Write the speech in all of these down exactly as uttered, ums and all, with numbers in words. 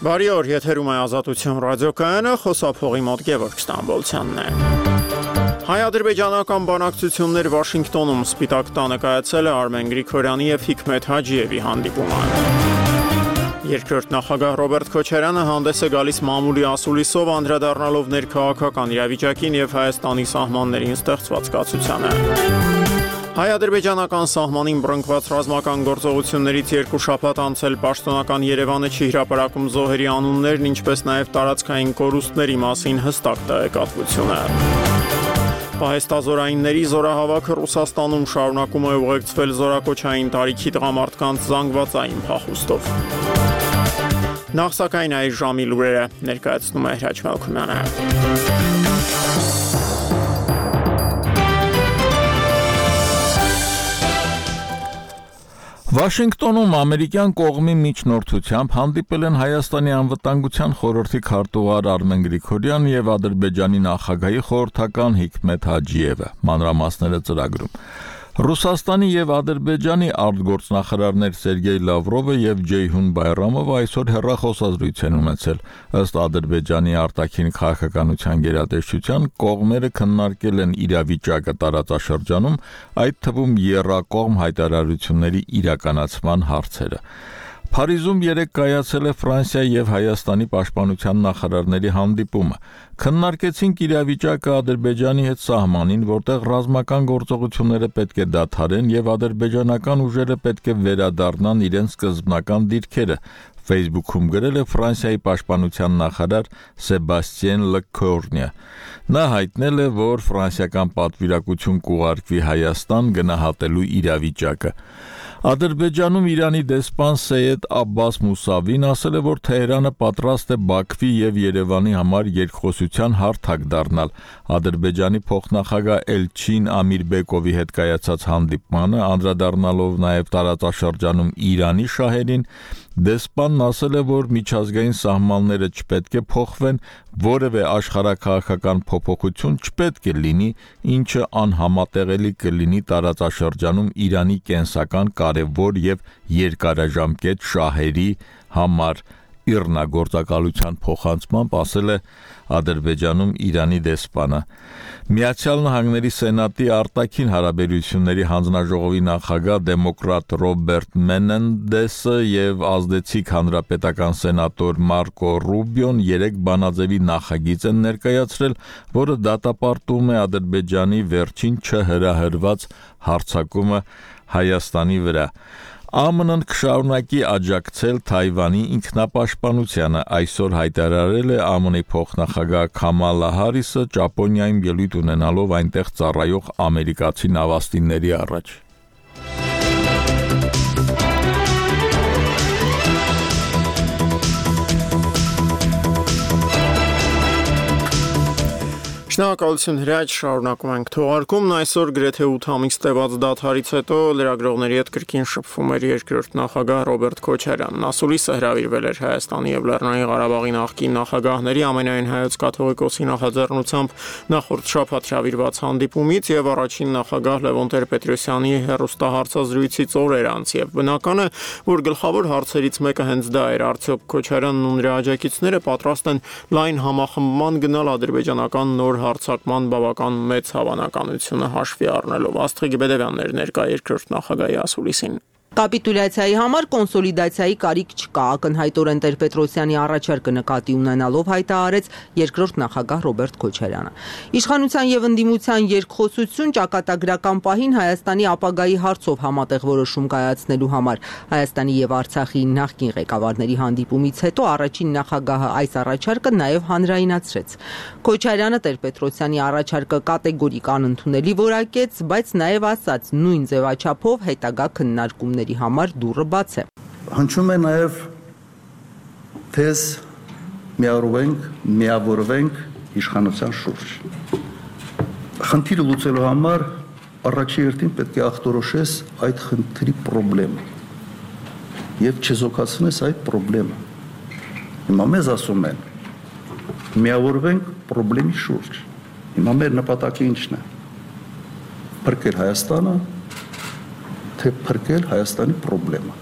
Բարի օր, եթերում է Ազատություն ռադիոկայանը, խոսափողի մոտ Գևորգ Ստամբոլցյանն է։ Հայ-ադրբեջանական բանակցություններ Վաշինգտոնում Սպիտակ տանը կայացել է Արմեն Գրիգորյանի և Հիկմեթ Հաջիևի հանդիպումը։ Երկրորդ նախագահ Ռոբերտ Քոչարյանը հանդես է գալիս մամուլի ասուլիսով, անդրադառնալով ներքաղաքական իրավիճակին և Հայաստանի սահմաններին ստեղծված կացությանը։ Հայ-ադրբեջանական սահմանին բռնկված ռազմական գործողություններից երկու շաբաթ անցել պաշտոնական Երևանը չի հրապարակում զոհերի անուններն, ինչպես նաև տարածքային կորուստների մասին հստակ տեղեկատվությունը։ Պահեստազորայինների զորահավաքը Ռուսաստանում շարունակում է ուղեկցվել զորակոչային տարիքի տղամարդկանց զանգվածային փախուստով։ Նախ սակայն այս ժամի լուրերը ներկայացնում է Հրաչ Մելքումյանը։ Վաշինգտոնում ամերիկյան կողմի միջնորդությամբ հանդիպել են Հայաստանի անվտանգության խորհրդի քարտուղար Արմեն Գրիգորյան և Ադրբեջանի նախագահի խորհրդական Հիկմեթ Հաջիևը, մանրամասները ծրագրում։ Ռուսաստանի և Ադրբեջանի արտգործնախարարներ Սերգեյ Լավրովը և Ջեյհուն Բայրամովը այսօր հեռախոսազրույց են ունեցել։ Ըստ Ադրբեջանի արտաքին քաղաքականության գերատեսչության, կողմերը քննարկել են իրավիճակը տարածաշրջանում, այդ թվում եռակողմ հայտարարությունների իրականացման հարցերը։ Փարիզում երեկ կայացել է Ֆրանսիայի և Հայաստանի պաշտպանության նախարարների հանդիպումը։ Քննարկեցինք իրավիճակը Ադրբեջանի հետ սահմանին, որտեղ ռազմական գործողությունները պետք է դադարեն և ադրբեջանական ուժերը պետք է վերադառնան իրենց սկզբնական դիրքերը, Facebook-ում գրել է Ֆրանսիայի պաշտպանության նախարար Սեբաստիեն Լեքորնյը։ Նա հայտնել է, որ ֆրանսիական պատվիրակություն կուղարկվի Հայաստան գնահատելու իրավիճակը։ Ադրբեջանում Իրանի դեսպան Սեյեդ Աբբաս Մուսավին ասել է, որ Թեհրանը պատրաստ է Բաքվի և Երևանի համար երկխոսության հարթակ դառնալ։ Ադրբեջանի փոխնախագահ Էլչին Ամիրբեկովի հետ կայացած հանդիպմանը, անդրադառնալով նաև տարածաշրջանում Իրանի շահերին, դեսպանն ասել է, որ միջազգային սահմանները չպետք է փոխվեն, որևէ աշխարհաքաղաքական փոփոխություն չպետք է լինի, ինչը անհամատեղելի կլինի տարածաշրջանում Իրանի կենսական կարևոր և երկարաժամկետ շահերի համար։ Իռնագործակալության փոխանցմամբ ասել է Ադրբեջանում Իրանի դեսպանը։ Միացյալ Նահանգների Սենատի արտաքին հարաբերությունների հանձնաժողովի նախագահ դեմոկրատ Ռոբերտ Մենենդեսը և ազդեցիկ հանրապետական սենատոր Մարկո Ռուբիոն երեք բանաձևի նախագիծ են ներկայացրել, որը դատապարտում է Ադրբեջանի վերջին չհրահրված հարձակումը Հայաստանի վրա։ ԱՄՆ-ն կշարունակի աջակցել Թայվանի ինքնապաշտպանությանը, այսօր հայտարարել է ԱՄՆ-ի փոխնախագահ Քամալա Հարիսը, Ճապոնիայում ելույթ ունենալով այնտեղ ծառայող ամերիկացի նավաստիների առաջ։ Շնորհակալություն Հրաչ, շարունակում ենք թողարկումն։ Այսօր գրեթե ութ ամիս տևած դադարից հետո լրագրողների հետ կրկին շփվում էր երկրորդ նախագահ Ռոբերտ Քոչարյանն։ Ասուլիսը հրավիրվել էր Հայաստանի և Լեռնային Ղարաբաղի նախկին նախագահների, ամենայն հայոց կաթողիկոսի նախաձեռնությամբ նախորդ շաբաթ հրավիրված հանդիպումից և առաջին նախագահ Լևոն Տեր-Պետրոսյանի հեռուստահարցազրույցից օրեր անց, և բնական է, որ գլխավոր հարցերից մեկը հենց դա էր, արդյոք Քոչարյանն ու նրա աջակիցները պատրաստ են լայն համախմբման գնալ ադրբեջանական նոր հարձակման բավական մեծ հավանականությունը հաշվի առնելով։ Աստղիկ Բեդևյանն էր ներկա երկրորդ նախագահի ասուլիսին։ Կապիտուլյացիայի համար կոնսոլիդացիայի կարիք չկա, ակնհայտորեն Տեր-Պետրոսյանի առաջարկը նկատի ունենալով հայտարարեց երկրորդ նախագահ Ռոբերտ Քոչարյանը։ Իշխանության և ընդդիմության երկխոսություն ճակատագրական պահին Հայաստանի ապագայի հարցով համատեղ որոշում կայացնելու համար Հայաստանի և Արցախի նախկին ղեկավարների հանդիպումից հետո առաջին նախագահը այս առաջարկը նաև հանրայնացրեց։ Քոչարյանը Տեր-Պետրոսյանի առաջարկը կատեգորիկ անընդունելի որակեց, բայց նաև ասաց նույն ձևաչափով հետագա քննարկումների համար դուռը բաց է։ Հնչում է նաև թեզ միավորվենք, միավորվենք իշխանության շուրջ։ Խնդիրը լուծելու համար առաջի հերթին պետք է ախտորոշես այդ խնդրի խնդրեմը եւ չզոքացնես այդ խնդրեմը։ Հիմա մեզ ասում են միավորվենք խնդրի շուրջ։ Հիմա մեր նպատակը ինչն է։ Փրկել Հայաստանը, թե փրկել Հայաստանի խնդրեմը։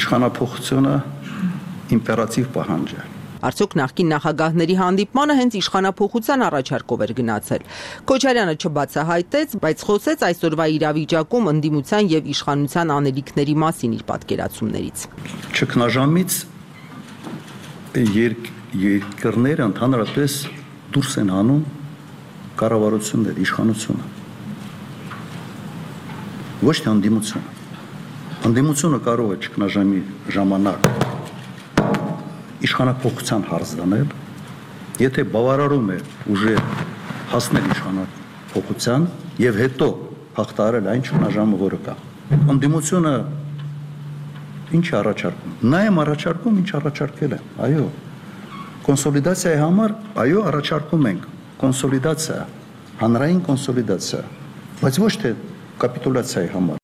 Իշխանափոխությունը իմպերատիվ պահանջ է։ Արդյոք նախկին նախագահների հանդիպմանը հենց իշխանափոխության առաջարկով էր գնացել։ Քոչարյանը չբացահայտեց, բայց խոսեց այսօրվա իրավիճակում ընդդիմության եւ իշխանության անելիքների մասին իր պատկերացումներից։ Ճգնաժամից երկ երկրները ընդհանրապես դուրս են հանում կառավարությունները, իշխանությունը։ Ոչ թե ընդդիմությունը։ Ընդդիմությունը կարող է ճգնաժամի ժամանակ իշխանափոխության հարց դնել, եթե բավարարում է ուժը հասնել իշխանափոխության եւ հետո հաղթահարել այն ճգնաժամը, որը կա։ Ընդդիմությունը ինչ առաջարկում։ Նա է առաջարկում, ինչ առաջարկել է։ Այո։ Կոնսոլիդացիայի համար, այո, առաջարկում ենք կոնսոլիդացիա, հանրային կոնսոլիդացիա, բայց ոչ թե կապիտուլյացիայի համար։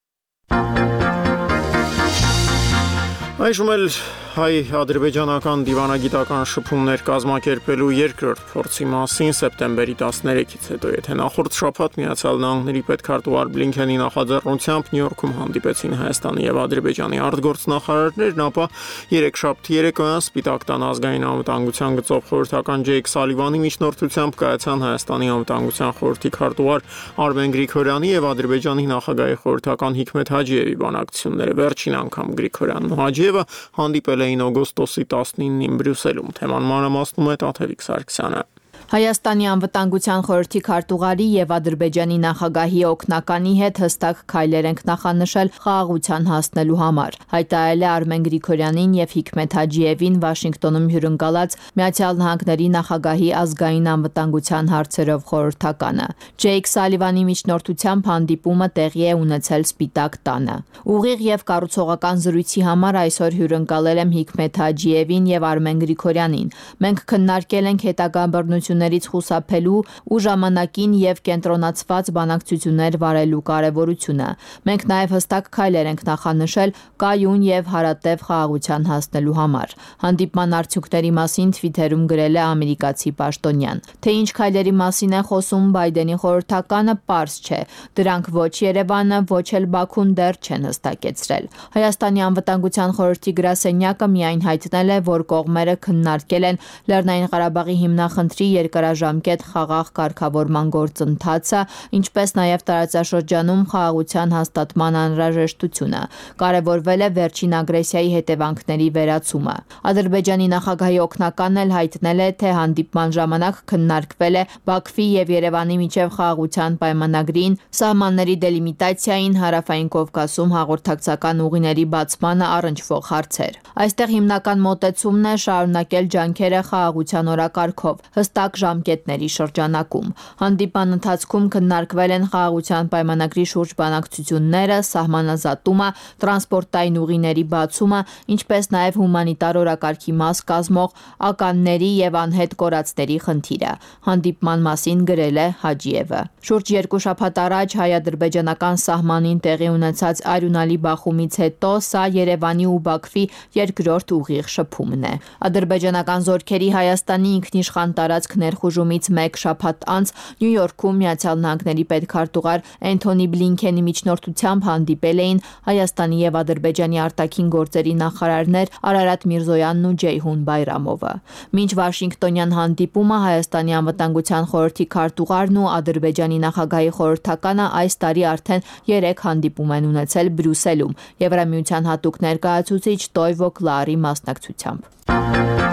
Այժմ էլ հայ-ադրբեջանական դիվանագիտական շփումներ կազմակերպելու երկրորդ փորձի մասին սեպտեմբերի տասներեքից հետո, եթե նախորդ շաբաթ Միացյալ Նահանգների պետքարտուղար Բլինքենի նախաձեռնությամբ Նյու Յորքում հանդիպեցին Հայաստանի եւ Ադրբեջանի արտգործնախարարներն, ապա երեքշաբթի երեկոյան Սպիտակ տան ազգային անվտանգության գծով խորհրդական Ջեյք Սալիվանի միջնորդությամբ կայացան Հայաստանի անվտանգության խորհրդի քարտուղար Արմեն Գրիգորյանի եւ Ադրբեջանի նախագահի խորհրդական Հիկմեթ Հաջիևի բանակցությունները։ Վերջին անգամ Գրիգորյանն ու Հաջիևը հանդիպել էին օգոստոսի տասնինին Բրյուսելում։ Թեման մանրամասնում է Տաթևիկ Սարգսյանը։ Հայաստանի անվտանգության խորհրդի քարտուղարի եւ Ադրբեջանի նախագահի օգնականի հետ հստակ քայլեր ենք նախանշել խաղաղության հասնելու համար, հայտարարել է Արմեն Գրիգորյանին եւ Հիկմեթ Հաջիևին Վաշինգտոնում հյուրընկալած Միացյալ Նահանգների նախագահի ազգային անվտանգության հարցերով խորհրդականը։ Ջեյք Սալիվանի միջնորդությամբ հանդիպումը տեղի է ունեցել Սպիտակ տանը։ Ուղիղ եւ կառուցողական զրույցի համար այսօր հյուրընկալել եմ Հիկմեթ Հաջիևին եւ Արմեն Գրիգորյանին։ Մենք քննարկել ենք հետագա բռնություն ներից խուսափելու ու ժամանակին եւ կենտրոնացված բանակցություններ վարելու կարեւորությունը։ Մենք նաեւ հստակ քայլեր ենք նախանշել կայուն եւ հարատև խաղաղության հասնելու համար։ Հանդիպման արդյունքների մասին Twitter-ում գրել է ամերիկացի պաշտոնյան։ Թե ինչ քայլերի մասին է խոսում Բայդենի խորհրդականը, պարզ չէ։ Դրանք ոչ Երևանը, ոչ էլ Բաքուն դեռ չեն հստակեցրել։ Հայաստանի անվտանգության խորհրդի գրասենյակը միայն հայտնել է, որ կողմերը քննարկել են Լեռնային Ղարաբաղի հիմնախնդրի երկարաժամկետ խաղաղ կարգավորման գործընթացը, ինչպես նաև տարածաշրջանում խաղաղության հաստատման անհրաժեշտությունը։ Կարևորվել է վերջին ագրեսիայի հետևանքների վերացումը։ Ադրբեջանի նախագահի օգնականն էլ հայտնել է, թե հանդիպման ժամանակ քննարկվել է Բաքվի եւ Երևանի միջև խաղաղության պայմանագրին, սահմանների դելիմիտացիային, Հարավային Կովկասում հաղորդակցական ուղիների բացմանը առնչվող հարցեր։ Այստեղ հիմնական մոտեցումն է շարունակել ջանքերը խաղաղության օրակարգով, հստակ ժամկետների շրջանակում։ Հանդիպան ընթացքում քննարկվել են խաղաղության պայմանագրի շուրջ բանակցությունները, սահմանազատումը, տրանսպորտային ուղիների բացումը, ինչպես նաև հումանիտար օրակարգի մաս կազմող ականների եւ անհետ կորածների խնդիրը։ Հանդիպման մասին գրել է Հաջիևը։ Շուրջ երկու շաբաթ առաջ հայ-ադրբեջանական սահմանին տեղի ունեցած արյունալի բախումից հետո սա Երևանի ու Բաքվի երկրորդ ուղիղ շփումն է։ Ադրբեջանական զորքերի Հայաստանի ինքնիշխան տարածք ներխուժումից մեկ շաբաթ անց Նյու Յորքում Միացյալ Նահանգների պետքարտուղար Էնթոնի Բլինքենի միջնորդությամբ հանդիպել էին Հայաստանի եւ Ադրբեջանի արտաքին գործերի նախարարներ Արարատ Միրզոյանն ու Ջեյհուն Բայրամովը։ Մինչ Վաշինգտոնյան հանդիպումը Հայաստանի անվտանգության խորհրդի քարտուղարն ու Ադրբեջանի նախագահի խորհրդականը այս տարի արդեն երեք հանդիպում են ունեցել Բրյուսելում Եվրամիության հատուկ ներկայացուցիչ Տոյվո Կլարի մասնակցությամբ։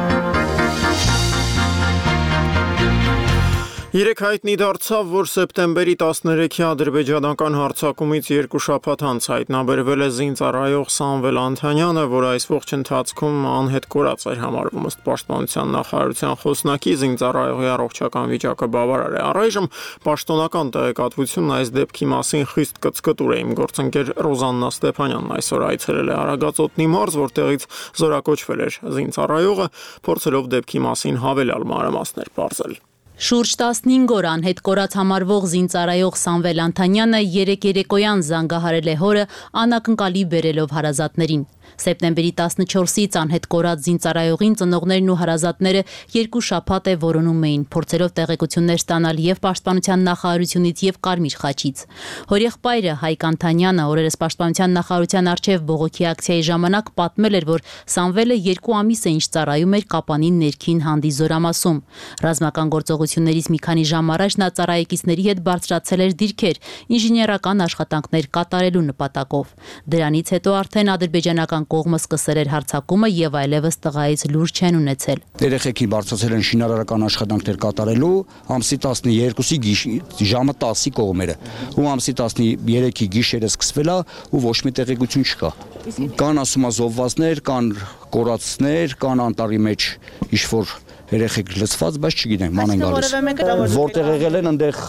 Երեք հայտնի դարձավ, որ սեպտեմբերի տասներեքի ադրբեջանական հարձակումից երկու շաբաթ անց հայտնաբերվել է զինծառայող Սամվել Անթանյանը, որ այս ողջ ընթացքում անհետ կորած էր համարվում ըստ Պաշտպանության նախարարության խոսնակի, զինծառայողի առողջական վիճակը բավարար է։ Առայժմ պաշտոնական տեղեկատվությունն այս դեպքի մասին խիստ կծկտուր է։ Իմ գործընկեր Ռոզաննա Ստեփանյանն այսօր այցելել է Արագածոտնի մարզ, որտեղից զորակոչվել էր զինծառայողը, փորձելով դեպքի մասին հավելյալ մանրամասներ պարզել։ Շուրջ տասնհինգ օր անհետ կորած համարվող զինծառայող Սամվել Անթանյանը երեկ երեկոյան զանգահարել է հորը անակնկալի բերելով հարազատներին։ Սեպտեմբերի տասնչորսից անհետ կորած զինծառայողին ծնողներն ու հարազատները երկու շաբաթ է որոնում էին, փորձելով տեղեկություններ ստանալ եւ Պաշտպանության նախարարությունից եւ Կարմիր խաչից։ Հորեղբայրը Հայկ Անթանյանը օրերս Պաշտպանության նախարարության առջև բողոքի ակցիայի ժամանակ պատմել էր, որ Սամվելը երկու ամիս է ինչ ծառայում էր Կապանին ներքին հանդի Զորամասում։ Ռազմական գործողություններից մի քանի ժամ առաջ նա ծառայեկիցների հետ բարձրացել էր դիրքեր ինժեներական աշխատանքներ կատարելու նպատակով։ Դրանից հետո արդեն ադրբեջանական կողմը սկսել էր հարձակումը եւ այլևս տղայից լուր չեն ունեցել։ Երեխեքին բարձրացել են շինարարական աշխատանքներ կատարելու ամսի տասներկուսի ժամը տասի կողմերը ու ամսի տասներեքի գիշերը սկսվել է ու ոչ մի տեղեկություն չկա։ Կան ասում զոհվածներ, կան կորածներ, կան անտառի մեջ ինչ-որ երեխեք լցված, բայց չգիտեմ, ման են գալիս։ Որտեղ եղել են այնտեղ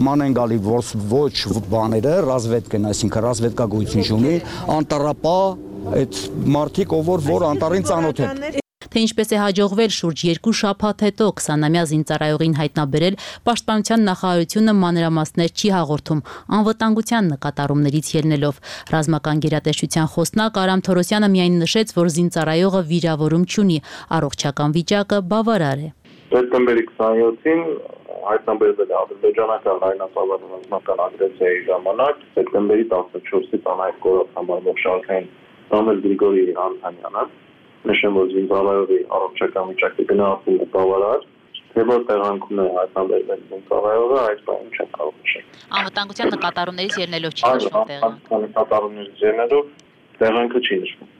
ման են գալի ոչ բաները, ռազմետկեն, այսինքն ռազմետկա գույություն չունի, անտառապա այդ մարդիկ, ով որ անտառին ծանոթ են։ Թե ինչպես է հաջողվել շուրջ երկու շաբաթ հետո քսանամյա զինծառայողին հայտնաբերել, Պաշտպանության նախարարությունը մանրամասներ չի հաղորդում, անվտանգության նկատառումներից ելնելով։ Ռազմական գերատեսչության խոսնակ Արամ Թորոսյանը միայն նշեց, որ զինծառայողը վիրավորում չունի, առողջական վիճակը բավարար է։ Սեպտեմբերի քսաներկուսին հայտնաբերվել է ադրբեջանական լայնածավալ ռազմական ագրեսիայի ժամանակ սեպտեմբերի տասնչորսից անհայտ կորած համարվող շարքային Սամվել Գրիգորի Անթանյանը, նշեմ, որ զինծառայողի առողջական վիճակը գնահատվում է բավարար, թե որ տեղանքում է հայտնաբերվել զինծառայողը, այս բանը չեմ կարող նշել։ Անվտանգության նկատառումներից ելնելով չի նշվում տեղը։ Անվտանգության նկատառումներից ելնելով տեղանքը չի նշվում։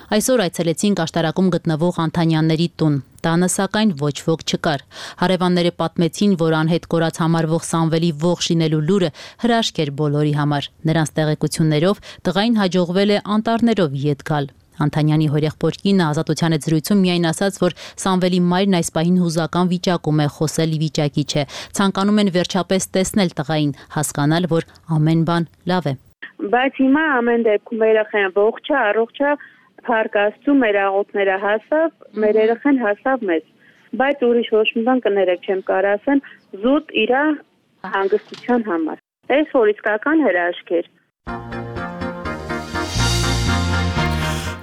Այսօր այցելեցինք աշտարակում գտնվող Անթանյանների տուն։ Տանը սակայն ոչ ոք չկար։ Հարևանները պատմեցին, որ անհետ կորած համարվող Սամվելի ողջ լինելու լուրը հրաշք էր բոլորի համար։ Նրանց տեղեկություններով տղային հաջողվել է անտառներով ետ գալ։ Անթանյանի հորեղբոր կինը Ազատության հետ զրույցում միայն ասաց, որ Սամվելի մայրն այս պահին հուզական վիճակում է, խոսել վիճակի չէ։ Ցանկանում են վերջապես տեսնել տղային, հասկանալ, որ ամեն բան լավ է։ Բայց հիմա ամեն դեպքում երեխան ողջ է, առողջ է, փառք Աստծո, մեր աղոթները հասավ, մեր երեխան հասավ մեզ։ Բայց ուրիշ ոչ մի բան կներեք չեմ կարող ասեմ, զուտ իր հանգստության համար։ Այս որ իսկական հրաշք էր։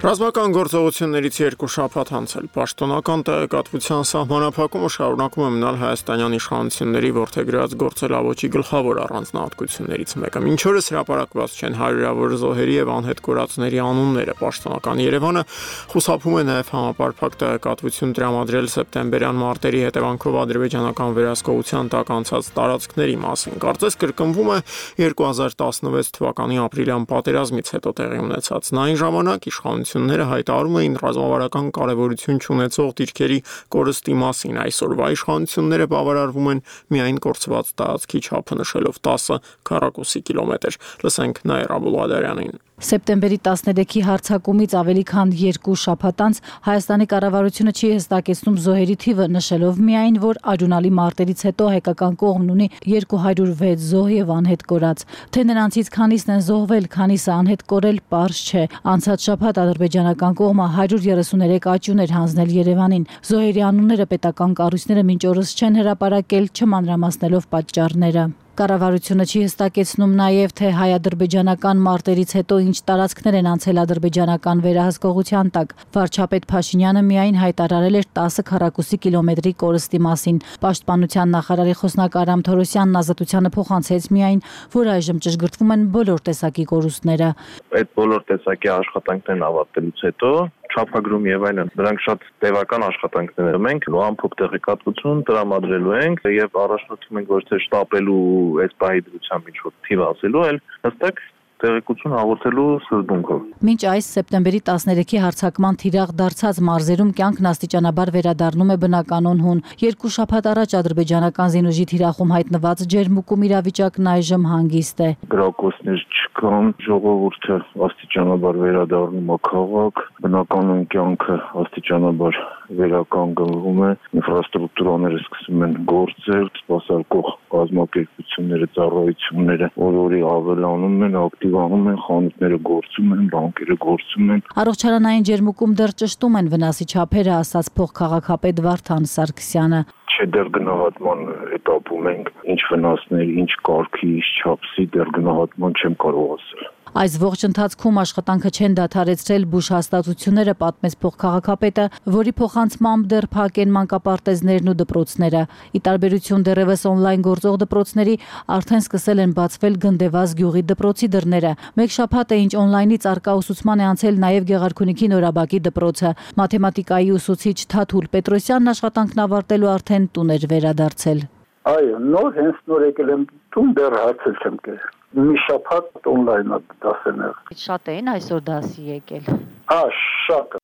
Ռազմական գործողություններից երկու շաբաթ անցել պաշտոնական տեղեկատվության սահմանափակումը շարունակում է մնալ հայաստանյան իշխանությունների որդեգրած գործելավոճի գլխավոր առանձնահատկություններից մեկը։ Մինչ օրս հրապարակված չեն հարյուրավոր զոհերի եւ անհետ կորածների անունները։ Պաշտոնական Երևանը խուսափում է նաեւ համապարփակ տեղեկատվություն տրամադրել սեպտեմբերյան մարտերի հետևանքով ադրբեջանական վերահսկողության տակ անցած տարածքների մասին։ Կարծես կրկնվում է երկու հազար տասնվեց թվականի ապրիլյան պատերազմից հետո տեղի ունեցածն։ Այն ժամանակ իշխանությունները հայտարարում էին ռազմավարական կարևորություն չունեցող դիրքերի կորստի մասին։ Այսօրվա իշխանությունները բավարարվում են միայն կորցված տարածքի չափը նշելով տասը քառակուսի կիլոմետր։ Լսենք Նաիրա Աբուլադարյանին։ Սեպտեմբերի տասներեքի հարձակումից ավելի քան երկու շաբաթ անց Հայաստանի կառավարությունը չի հստակեցնում զոհերի թիվը, նշելով միայն, որ արյունալի մարտերից հետո հայկական կողմն ունի երկու հարյուր վեց զոհ եւ անհետ կորած։ Թե նրանցից քանիսն են զոհվել, քանիսը անհետ կորել, պարզ չէ։ Անցած շաբաթ ադրբեջանական կողմը հարյուր երեսուներեք աճուն էր հանձնել Երևանին։ Զոհերի անունները պետական կառույցները մինչ օրս չեն հրապարակել, չմանրամասնելով պատճառները։ Կառավարությունը չի հստակեցնում նաև, թե հայ-ադրբեջանական մարտերից հետո ինչ տարածքներ են անցել ադրբեջանական վերահսկողության տակ։ Վարչապետ Փաշինյանը միայն հայտարարել էր տասը քառակուսի կիլոմետրի կորստի մասին։ Պաշտպանության նախարարի խոսնակ Արամ Թորոսյանն Ազատությանը փոխանցեց միայն, որ այժմ ճշգրտվում են բոլոր տեսակի կորուստները։ Այդ բոլոր տեսակի աշխատանքներն ավարտելուց հետո չափագրում եւ այլն, դրանք շատ տևական աշխատանքներ են, մենք ամփոփ տեղեկատվություն տրամադրելու ենք եւ առաջնորդում ենք ոչ թե շտապելու այս պահի դրությամբ ինչ-որ թիվ ասելու, այլ հստակ տեղեկություն հաղորդելու սկզբունքով։ Մինչ այս սեպտեմբերի տասներեքի հարձակման թիրախ դարձած մարզերում կյանքն աստիճանաբար վերադառնում է բնականon հուն։ Երկու շաբաթ առաջ ադրբեջանական զինուժի թիրախում հայտնված ջերմուկում իրավիճակն այժմ հանգիստ է։ Գրակոչներ չկան, ժողովուրդը աստիճանաբար վերադառնում է քաղաք, բնականon կյանքը աստիճանաբար վերականգնվում է, ինֆրաստրուկտուրաները սկսում են գործել, սպասարկող կազմակերպությունները, ծառայությունները օր-օրի ավելանում են, ակտիվանում են, խանութները գործում են, բանկերը գործում են։ Առողջարանային ջերմուկում դեռ ճշտում են վնասի չափերը, ասաց փոխքաղաքապետ Վարդան Սարգսյանը։ Չէ, դեռ գնահատման էտապում ենք, ինչ վնասներ, ինչ կարգի, ինչ չափսի, դեռ գնահատման չեմ կարող ասել։ Այս ողջ ընթացքում աշխատանքը չեն դադարեցրել բուժ հաստատությունները, պատմեց փոխքաղաքապետը, որի փոխանցմամբ դեռ փակ են մանկապարտեզներն ու դպրոցները։ Ի տարբերություն դեռևս օնլայն գործող դպրոցների, արդեն սկսել են բացվել Գնդեվազ գյուղի դպրոցի դռները։ Մեկ շաբաթ է ինչ օնլայնից արկա ուսուցման է անցել նաև Գեղարքունիքի Նորաբակի դպրոցը։ Մաթեմատիկայի ուսուցիչ Թաթուլ Պետրոսյանն աշխատանքն ավարտելու արդեն տուն էր վերադարձել։ Այո, նոր հենց նոր եկել եմ տուն, դեռ հարցել չեմ կերել։ Մի շաբաթ օնլայն դասերներ։ Շատ էին այսօր դասի եկել։ Հա, շատ։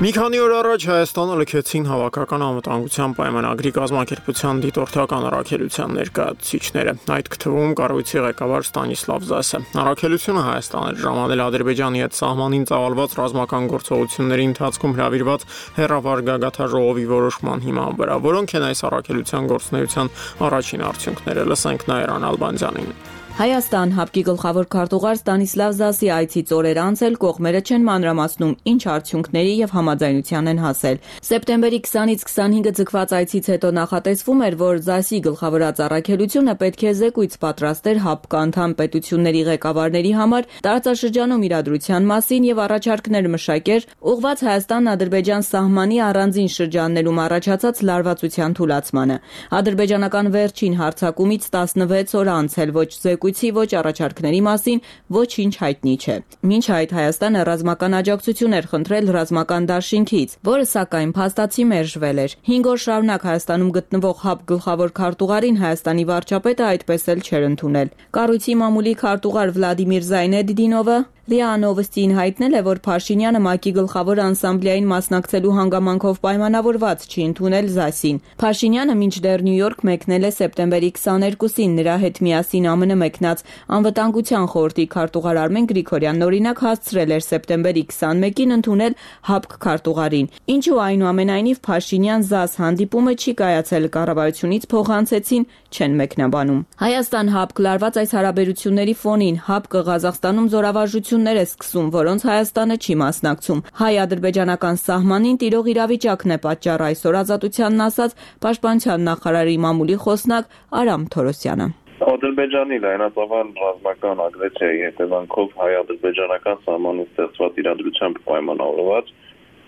Մի քանի օր առաջ Հայաստանը լքեցին Հավաքական անվտանգության պայմանագրի կազմակերպության դիտորդական առաքելության ներկայացուցիչները։ Այդ թվում կառույցի ղեկավար Ստանիսլավ Զասը։ Առաքելությունը Հայաստան էր ժամանել Ադրբեջանի հետ սահմանին ծավալված ռազմական գործողությունների ընթացքում հրավիրված հերավար գագաթաժողովի որոշման հիման վրա, որոնք են այս առաքելության գործունեության առաջին արդյունքները։ Լսենք Նաիրան Ալբանդյանին։ Հայաստան ՀԱՊԿ-ի գլխավոր քարտուղար Ստանիսլավ Զասի այցից օրեր անց էլ կողմերը չեն մանրամասնում ինչ արդյունքների եւ համաձայնության են հասել։ Սեպտեմբերի քսանից քսանհինգը ձգված այցից հետո նախատեսվում էր, որ Զասի գլխավորած առաքելությունը պետք է զեկույց պատրաստեր ՀԱՊԿ անդամ պետությունների ղեկավարների համար տարածաշրջանում իրադրության մասին եւ առաջարկներ մշակեր ուղղված Հայաստան-Ադրբեջան սահմանի առանձին շրջաններում առաջացած լարվածության թուլացմանը։ Ադրբեջանական վերջին հարձակումից տասնվեց օր անց էլ ոչ զեկույցի, ոչ առաջարկների մասին ոչինչ հայտնի չէ։ Մինչ այդ Հայաստանը ռազմական աջակցություն էր խնդրել ռազմական դաշինքից, որը սակայն փաստացի մերժվել էր։ Հինգ օր շարունակ Հայաստանում գտնվող ՀԱՊԿ գլխավոր քարտուղարին Հայաստանի վարչապետը այդպես էլ չէր ընդունել։ Կառույցի մամուլի քարտուղար Վլադիմիր Զայնեդդինովը ՌԻԱ Նովոստիին հայտնել է, որ Փաշինյանը ՄԱԿ-ի գլխավոր անսամբլեային մասնակցելու հանգամանքով պայմանավորված չի ընդունել Զասին։ Փաշինյանը մինչդեռ Նյու Յորք մեկնել է սեպտեմբերի քսաներկուսին, նրա հետ միասին ԱՄՆ մեկնած Անվտանգության խորհրդի քարտուղար Արմեն Գրիգորյանն օրինակ հասցրել էր սեպտեմբերի քսանմեկին ընդունել ՀԱՊԿ քարտուղարին։ Ինչու այնուամենայնիվ Փաշինյան-Զաս հանդիպումը չի կայացել, կառավարությունից փոխանցեցին, չեն մեկնաբանում։ Հայաստան-ՀԱՊԿ լարված այս հարաբերությունների ֆոնին ՀԱՊԿ-ը Ղազախստանում զորավարժություն է սկսում, որոնց Հայաստանը չի մասնակցում։ Հայ-ադրբեջանական սահմանին տիրող իրավիճակն է պատճառ, այսօր Ազատությանն ասաց Պաշտպանության նախարարի մամուլի խոսնակ Արամ Թորոսյանը։ Ադրբեջանի լայնածավալ ռազմական ագրեսիայի հետևանքով հայ-ադրբեջանական սահմանի ստեղծված իրադրությամբ պայմանավորված,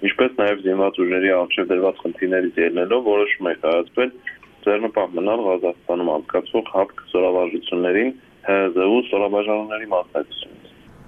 ինչպես նաև զինված ուժերի առջև դրված խնդիրներից ելնելով որոշում է կայացվել ձեռնպահ մնալ Ղազախստանում անցկացվող ՀԱՊԿ զորավարժություններին ՀԶՈΥ ստորաբաժանումների մասնակցությունից։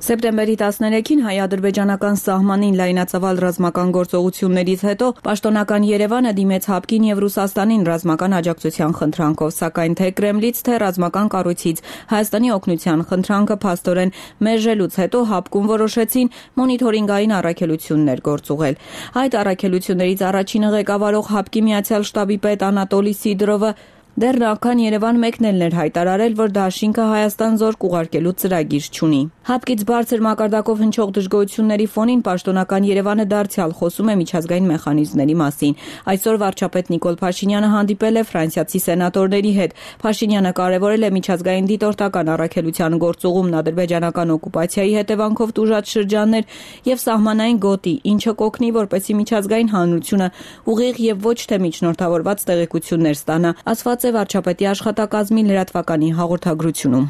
Սեպտեմբերի տասներեքին հայ-ադրբեջանական սահմանին լայնածավալ ռազմական գործողություններից հետո պաշտոնական Երևանը դիմեց ՀԱՊԿ-ին եւ Ռուսաստանին ռազմական աջակցության խնդրանքով, սակայն թե Կրեմլից, թե ռազմական կառույցից Հայաստանի օգնության խնդրանքը փաստորեն մերժելուց հետո ՀԱՊԿ-ում որոշեցին մոնիթորինգային առաքելություններ գործուղել։ Այդ առաքելություններից առաջինը ղեկավարող ՀԱՊԿ-ի Միացյալ շտաբի պետ Անատոլի Սիդրովը դեռ նախքան Երևան մեկնելն էր հայտարարել, որ դաշինքը Հայաստան զորք ուղարկելու ծրագիր չունի։ ՀԱՊԿ-ից բարձր մակարդակով հնչող դժգոհությունների ֆոնին պաշտոնական Երևանը դարձյալ խոսում է միջազգային մեխանիզմների մասին։ Այսօր վարչապետ Նիկոլ Փաշինյանը հանդիպել է ֆրանսիացի սենատորների հետ։ Փաշինյանը կարևորել է միջազգային դիտորդական առաքելության գործուղումն ադրբեջանական օկուպացիայի հետևանքով տուժած շրջաններ եւ սահմանային գոտի, ինչը կօգնի, որպեսզի միջազգային հանրությունը ուղիղ եւ ոչ թե միջնորդավորված տեղեկություններ ստանա, ասված է վարչապետի աշխատակազմի լրատվականի հաղորդագրությունում։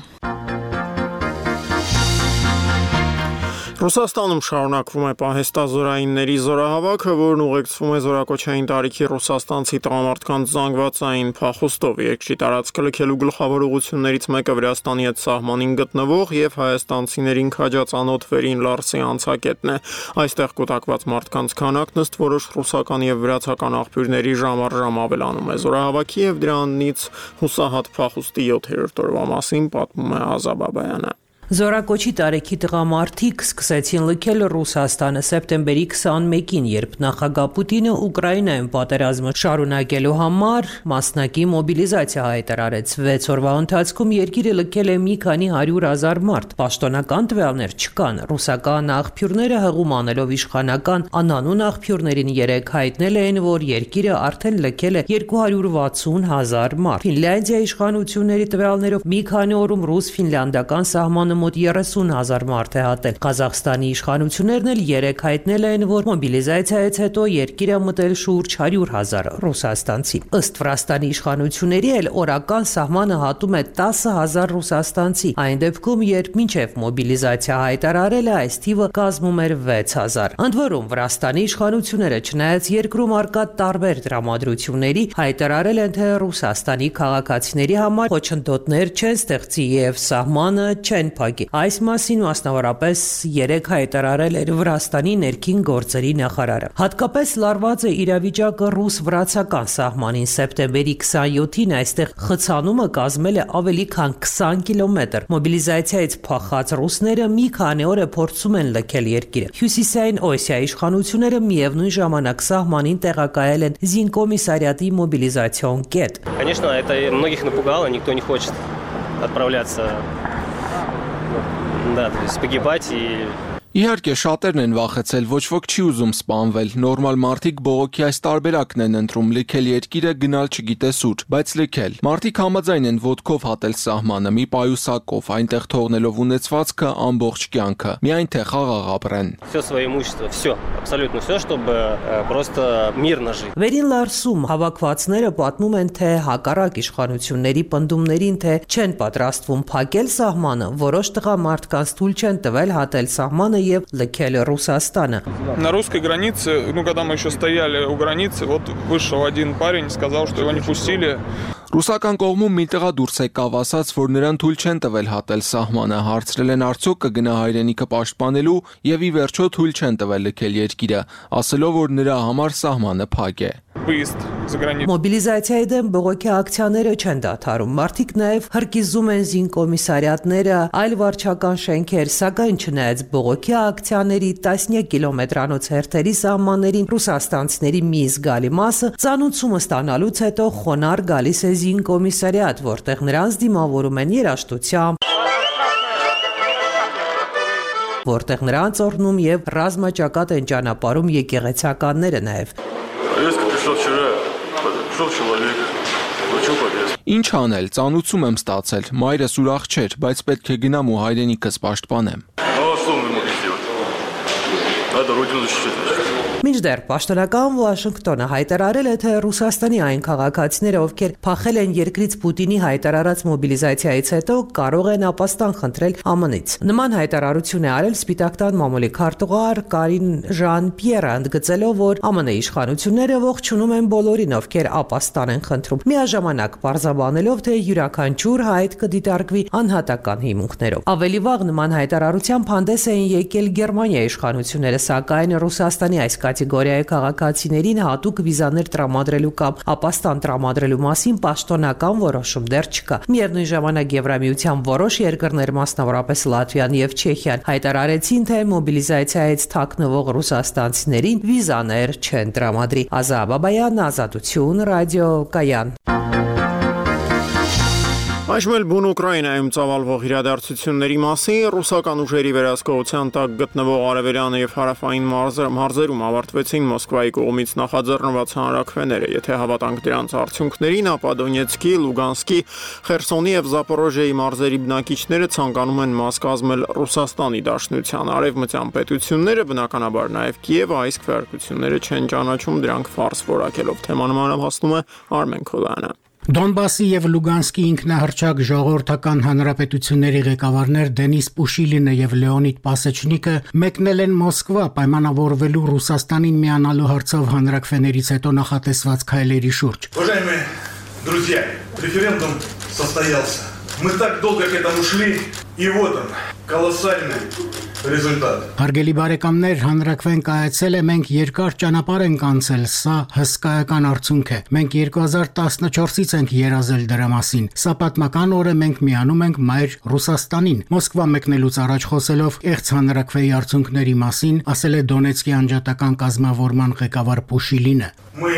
Ռուսաստանում շարունակվում է պահեստազորայինների զորահավաքը, որն ուղեկցվում է զորակոչային տարիքի ռուսաստանցի տղամարդկանց զանգվածային փախուստով։ Երկրի տարածքը լքելու գլխավոր ուղղություններից մեկը Վրաստանի հետ սահմանին գտնվող եւ հայաստանցիներին քաջածանոթ Վերին Լարսի անցակետն է։ Այստեղ կուտակված մարդկանց քանակն ըստ որոշ ռուսական եւ վրացական աղբյուրների ժամ առ ժամ ավելանում է։ Զորահավաքի եւ դրանից հուսահատ փախուստի յոթերորդ օրվա մասին պատմում է Ազա Բաբայանը։ Զորակոչի տարեքի տղամարդիկ սկսեցին լքել Ռուսաստանը սեպտեմբերի քսանմեկին, երբ նախագահ Պուտինը Ուկրաինայում պատերազմը շարունակելու համար մասնակի մոբիլիզացիա հայտարարեց։ վեց օրվա ընթացքում երկիրը լքել է մի քանի հարյուր հազար մարդ։ Պաշտոնական տվյալներ չկան։ Ռուսական աղբյուրները հղում անելով իշխանական անանուն աղբյուրներին երեկ հայտնել էին, որ երկիրը արդեն լքել է երկու հարյուր վաթսուն հազար մարդ։ Ֆինլանդիայի իշխանությունների տվյալներով մի քանի օրում ռուս-ֆինլանդական սահմանը Սահմանը մոտ երեսուն հազար մարդ է հատել։ Ղազախստանի իշխանություններն էլ երեք հայտնել են, որ մոբիլիզացիայից հետո երկիրը մտել շուրջ հարյուր հազար ռուսաստանցի։ Ըստ Վրաստանի իշխանությունների էլ օրական սահմանը հատում է տասը հազար ռուսաստանցի, այն դեպքում, երբ մինչև մոբիլիզացիա հայտարարել է, այս թիվը կազմում էր վեց հազար։ Ընդ որում Վրաստանի իշխանությունները, չնայած երկրում առկա տարբեր տրամադրությունների, հայտարարել են, թե Ռուսաստանի քաղաքացիների համար խոչընդոտներ չեն ստեղծի եւ սահմանը չեն փակի։ Այս մասին մասնավորապես երեք հայտարարել էր Վրաստանի ներքին գործերի նախարարը։ Հատկապես լարված է իրավիճակը ռուս-վրացական սահմանին։ Սեպտեմբերի քսանյոթին այստեղ խցանումը կազմել է ավելի քան քսան կիլոմետր։ Մոբիլիզացիայից փախած ռուսները մի քանի օր է փորձում են լքել երկիրը։ Հյուսիսային Օսիայի իշխանությունները միևնույն ժամանակ սահմանին տեղակայել են զինկոմիսարիատի մոբիլիզացիոն կետ։ Конечно, это многих напугало, никто не хочет отправляться, да, то есть погибать и Իհարկե շատերն են վախեցել, ոչ ոք չի ուզում սպանվել, նորմալ մարդիկ բողոքի այս տարբերակն են ընտրում, լքել երկիրը, գնալ չգիտես ուր, բայց լքել։ Մարդիկ համաձայն են ոտքով հատել սահմանը, մի պայուսակով, այնտեղ թողնելով ունեցվածքը ամբողջ կյանքը, միայն թե խաղաղ ապրեն։ Всё свое имущество, всё, абсолютно всё, чтобы просто мирно жить։ Վերին Լարսում հավաքվածները պատմում են, թե հակառակ իշխանությունների պնդումներին, թե չեն պատրաստվում փակել սահմանը, որոշ տղամարդկանց թույլ չեն տվել հատել սահմանը եւ լքել Ռուսաստանը։ На русской границе, ну когда мы еще стояли у границы, вот вышел один парень, сказал, что его не пустили. Ռուսական կողմում մի տղա դուրս եկավ, ասաց, որ նրան թույլ չեն տվել հատել սահմանը, հարցրել են արդյոք կգնա հայրենիքը պաշտպանելու եւ ի վերջո թույլ չեն տվել լքել երկիրը, ասելով, որ նրա համար սահմանը փակ է։ Մոբիլիզացիայի դեմ բողոքի ակցիաները չեն դադարում։ Մարդիկ նաև հրկիզում են զինկոմիսարիատները, այլ վարչական շենքեր, սակայն չնայած բողոքի ակցիաների տասնյակ կիլոմետրանոց հերթերի սահմաններին ռուսաստանցիների մի զգալի մասը ծանուցումը ստանալուց հետո խոնարհ գալիս է զինկոմիսարիատ, որտեղ նրանց դիմավորում են երաժշտությամբ, որտեղ նրանց օրհնում եւ ռազմաճակատ են ճանապարհում եկեղեցականները նաև։ Ինչ անել, ծանուցում եմ ստացել, մայրս ուրախ չէր, բայց պետք է գնամ ու հայրենիքս պաշտպանեմ։ Մինչդեռ պաշտոնական Վաշինգտոնը հայտարարել է, թե Ռուսաստանի այն քաղաքացիները, ովքեր փախել են երկրից Պուտինի հայտարարած մոբիլիզացիայից հետո, կարող են ապաստան խնդրել Α M N-ից։ Նման հայտարարություն է արել Սպիտակ տան մամուլի քարտուղար Կարին Ժան-Պիերը, ընդգծելով, որ Α M N-ի իշխանությունները ողջունում են բոլորին, ովքեր ապաստան են խնդրում, միաժամանակ պարզաբանելով, թե յուրաքանչյուր հայտ կդիտարկվի անհատական հիմունքներով։ Ավելի վաղ նման հայտարարությամբ հանդես էին եկել Գերմանիայի իշխանությունները, սակայն Ռուսաստանի այս կատեգորիայի քաղաքացիներին հատուկ վիզաներ տրամադրելու կամ ապաստան տրամադրելու մասին պաշտոնական որոշում դեռ չկա։ Միևնույն ժամանակ Եվրամիության որոշ երկրներ, մասնավորապես Լատվիան եւ Չեխիան, հայտարարեցին, թե մոբիլիզացիայից թաքնվող ռուսաստանցիներին վիզաներ չեն տրամադրի։ Ազա Բաբայան, Ազատություն, ռադիո Կայան։ Այժմ էլ բուն Ուկրաինայում ծավալվող իրադարձությունների մասին ռուսական ուժերի վերահսկողության տակ գտնվող արևելյան եւ հարավային մարզերում ավարտվեցին Մոսկվայի կողմից նախաձեռնված հանրաքվեները։ Եթե հավատանք դրանց արդյունքներին, ապա Դոնեցկի, Լուգանսկի, Խերսոնի եւ Զապորոժիայի մարզերի բնակիչները ցանկանում են մաս կազմել Ռուսաստանի Դաշնության։ Արևմտյան պետությունները, բնականաբար նաեւ Կիևը, այս քվեարկությունները չեն ճանաչում, դրանք ֆարս որակելով։ Թեման մանրամասնում է Արմեն Քոլյանը։ Դոնբասի եւ Լուգանսկի ինքնահռչակ ժողովրդական հանրապետությունների ղեկավարներ Դենիս Պուշիլինը եւ Լեոնիդ Պասեչնիկը մեկնել են Մոսկվա պայմանավորվելու Ռուսաստանին միանալու հարցով հանրաքվեներից հետո նախատեսված քայլերի շուրջ։ Уважаемые друзья, референдум состоялся. Мы так долго к этому шли, и вот он, колоссальный результат. Հարգելի բարեկամներ, հանրաքվեն կայացել է, մենք երկար ճանապարհ ենք անցել, սա հսկայական արդյունք է։ Մենք երկու հազար տասնչորսից ենք երազել դրա մասին։ Սա պատմական օր է, մենք միանում ենք մայր Ռուսաստանին։ Մոսկվա մեկնելուց առաջ խոսելով եղծ հանրաքվեի արդյունքների մասին, ասել է Դոնեցկի անջատական կազմավորման ղեկավար Պուշիլինը։ Мы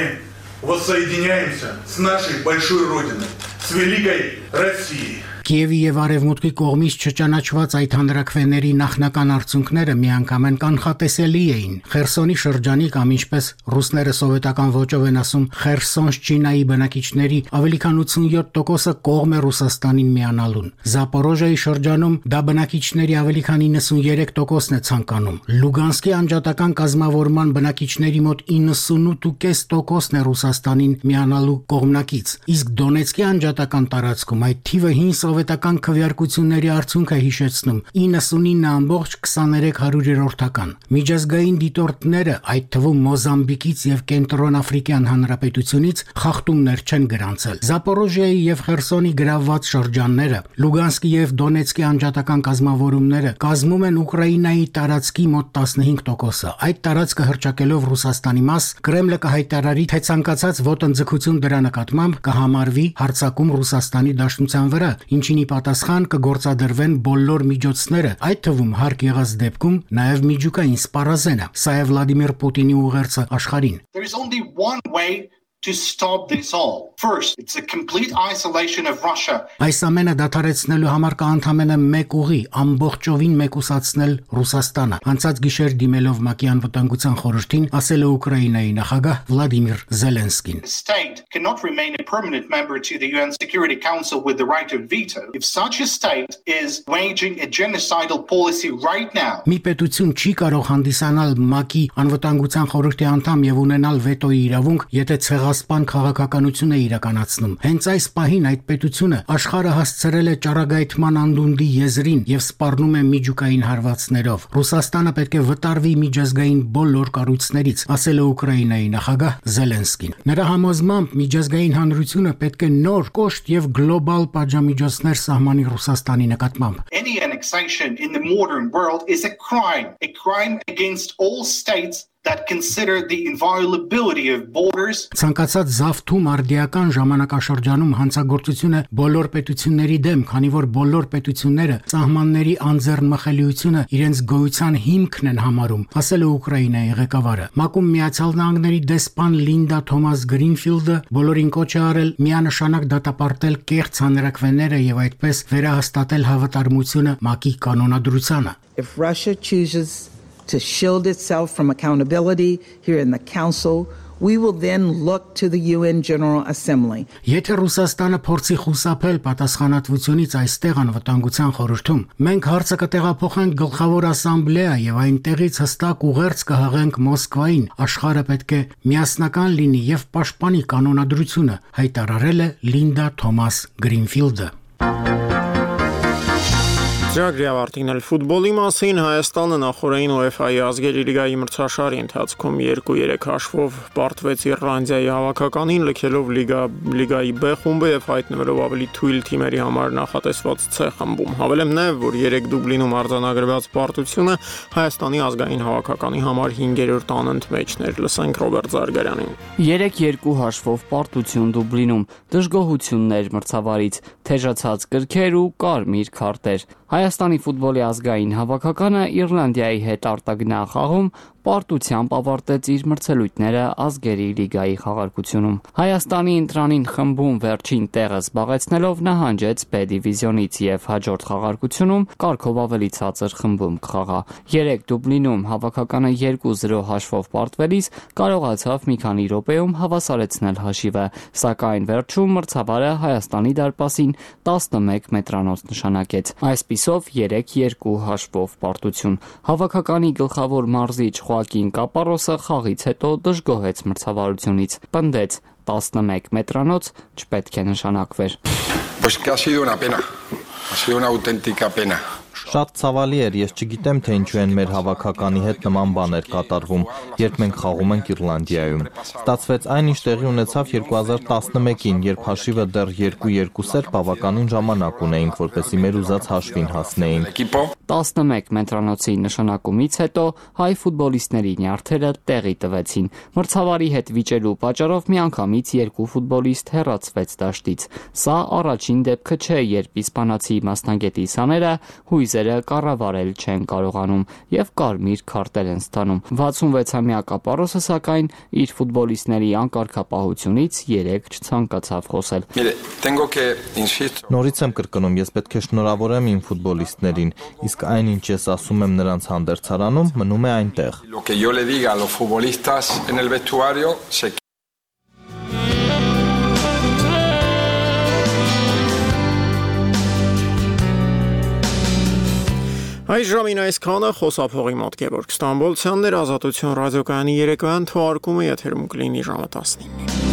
воссоединяемся с нашей большой родиной, с великой Россией. Կիևի եւ Արևմուտքի կողմից չճանաչված այդ հանրաքվեների նախնական արդյունքները միանգամայն կանխատեսելի էին։ Խերսոնի շրջանի կամ ինչպես ռուսները սովետական ոճով են ասում Խերսոնշչինայի բնակիչների ավելի քան ութսունյոթ տոկոսը կողմ է Ռուսաստանին միանալուն։ Զապորոժիայի շրջանում դա բնակիչների ավելի քան իննսուններեք տոկոսն է ցանկանում։ Լուգանսկի անջատական կազմավորման բնակիչների մոտ իննսունութ կόμμα պենս տոկոսն է Ռուսաստանին միանալու կողմնակից։ Իսկ Դոնեցկի անջատական տարածքում այդ թիվը հին սովետական քվեարկությունների արդյունք է հիշեցնում՝ իննսունինը ամբողջ քսաներեք հարյուրերորդական։ Միջազգային դիտորդները, այդ թվում Մոզամբիկից եւ Կենտրոնաֆրիկյան Հանրապետությունից խախտումներ չեն գրանցել։ Զապորոժիայի եւ Խերսոնի գրավված շրջանները, Լուգանսկի եւ Դոնեցկի անջատական կազմավորումները կազմում են Ուկրաինայի տարածքի մոտ տասնհինգ տոկոսը։ Այդ տարածքը հռչակելով Ռուսաստանի մաս, Կրեմլը կհայտարարի, թե ցանկացած ոտնձգություն դրա նկատմամբ կհամարվի հարձակում Ռուսաստանի դաշնության վրա, ինչին ի պատասխան կգործադրվեն բոլոր միջոցները, այդ թվում հարկ եղած դեպքում նաև միջուկային սպառազենը։ Սա է Վլադիմիր Պուտինի ուղերձը աշխարհին։ There is only one way to stop this all. First, it's a complete isolation of Russia. Այս ամենը դադարեցնելու համար կա ընդամենը մեկ ուղի՝ ամբողջովին մեկուսացնել Ռուսաստանը։ Անցած գիշեր դիմելով ՄԱԿ-ի անվտանգության խորհրդին, ասել է Ուկրաինայի նախագահ Վլադիմիր Զելենսկին. The state cannot remain a permanent member to the U N Security Council with the right of veto if such a state is waging a genocidal policy right now. Մի պետություն չի կարող հանդիսանալ ՄԱԿ-ի անվտանգության խորհրդի անդամ եւ ունենալ վետոյի իրավունք, եթե ցեղասպան քաղաքականություն է իրականացնում։ Հենց այս պահին այդ պետությունը աշխարհը հասցրել է ճառագայթման անդունդի եզրին եւ սպառնում է միջուկային հարվածներով։ Ռուսաստանը պետք է վտարվի միջազգային բոլոր կառույցներից, ասել է Ուկրաինայի նախագահ Զելենսկին։ Նրա համոզմամբ միջազգային հանրությունը պետք է նոր կոշտ եւ գլոբալ պատժամիջոցներ սահմանի Ռուսաստանի նկատմամբ։ Any annexation in the modern world is a crime, a crime against all states that consider the inviolability of borders. Ցանկացած զավթում արդիական ժամանակաշրջանում հանցագործությունը բոլոր պետությունների դեմ, քանի որ բոլոր պետությունները սահմանների անձեռնմխելիությունը իրենց գոյության հիմքն են համարում, ասել է Ուկրաինայի ղեկավարը։ ՄԱԿ-ում Միացյալ Նահանգների դեսպան Լինդա Թոմաս Գրինֆիլդը բոլորին կոչ է արել միանշանակ դատապարտել կեղծ հանրաքվեները եւ այդպես վերահաստատել հավատարմությունը ՄԱԿ-ի կանոնադրությանը։ If Russia chooses to shield itself from accountability here in the Council, we will then look to the U N General Assembly. Եթե Ռուսաստանը փորձի խուսափել պատասխանատվությունից այստեղ անվտանգության խորհրդում, մենք հարցը կտեղափոխենք գլխավոր ասամբլեա եւ այնտեղից հստակ ուղերձ կհղենք Մոսկվային։ Աշխարհը պետք է միասնական լինի եւ պաշտպանի կանոնադրությունը, հայտարարել է Լինդա Թոմաս Գրինֆիլդը։ Ծրագրի ավարտին էլ ֆուտբոլի մասին Հայաստանը նախորդին ՈՒԵՖԱ-ի ազգերի լիգայի մրցաշարի ընթացքում երկու երեք հաշվով պարտվեց Իռլանդիայի հավաքականին, լքելով լիգա լիգայի B խումբը եւ հայտնվելով ավելի թույլ թիմերի համար նախատեսված C խմբում։ Հավելեմ նաեւ, որ երեք Դուբլինում արձանագրված պարտությունը Հայաստանի ազգային հավաքականի համար հինգերորդ անընդմեջն էր։ Լսենք Ռոբերտ Զարգարյանին։ երեք երկու հաշվով պարտություն Դուբլինում, դժգոհություններ մրցավարից, թեժացած կրքեր ու կարմիր քարտեր։ Հայաստանի ֆուտբոլի ազգային հավաքականը Իռլանդիայի հետ արտագնա խաղում պարտությամբ ավարտեց իր մրցելույթները ազգերի լիգայի խաղարկությունում։ Հայաստանի ընտրանին խմբում վերջին տեղը զբաղեցնելով նահանջեց B դիվիզիոնից եւ հաջորդ խաղարկությունում կարգով ավելի ցածր խմբում կխաղա։ երեք Դուբլինում հավաքականը երկու զրո հաշվով պարտվելիս կարողացավ մի քանի րոպեում հավասարեցնել հաշիվը, սակայն վերջում մրցավարը Հայաստանի դարպասին տասնմեկ մետրանոց նշանակեց։ Այսպիսով երեք երկու հաշվով պարտություն։ Հավաքականի գլխավոր մարզիչ Խոակին Կապարոսը խաղից հետո դժգոհեց մրցավարությունից, պնդեց տասնմեկ մետրանոց չպետք է նշանակվեր։ Pues que ha sido una pena. Ha sido una auténtica pena. Շատ ցավալի էր, ես չգիտեմ թե ինչու են մեր հավաքականի հետ նման բաներ կատարվում, երբ մենք խաղում ենք Իռլանդիայում։ Ստացվեց այն, ինչ տեղի ունեցավ երկու հազար տասնմեկին, երբ հաշիվը դեռ երկու երկու էր, բավականին ժամանակ ունեինք, որպեսզի մեր ուզած հաշվին հասնեինք։ տասնմեկ մետրանոցի նշանակումից հետո հայ ֆուտբոլիստների նյարդերը տեղի տվեցին։ Մրցավարի հետ վիճելու պատճառով միանգամից երկու ֆուտբոլիստ հեռացվեց դաշտից։ Սա առաջին դեպքը չէ, երբ իսպանացի մասնագետի սաները հույզեր խմբերը կառավարել չեն կարողանում եւ կարմիր քարտեր են ստանում։ վաթսունվեցամյա Կապարոսը սակայն իր ֆուտբոլիստների անկարգապահությունից երեք չցանկացավ խոսել։ Նորից եմ կրկնում, ես պետք է շնորհավորեմ իմ ֆուտբոլիստներին, իսկ այն ինչ ես ասում եմ նրանց հանդերձարանում, մնում է այնտեղ։ Այս ժամին այսքանը խոսափողի մոտ Գևորգ Ստամբոլցյանն էր, Ազատություն ռադիոկայանի երեկոյան թողարկումը եթերում կլինի ժամը տասնինը։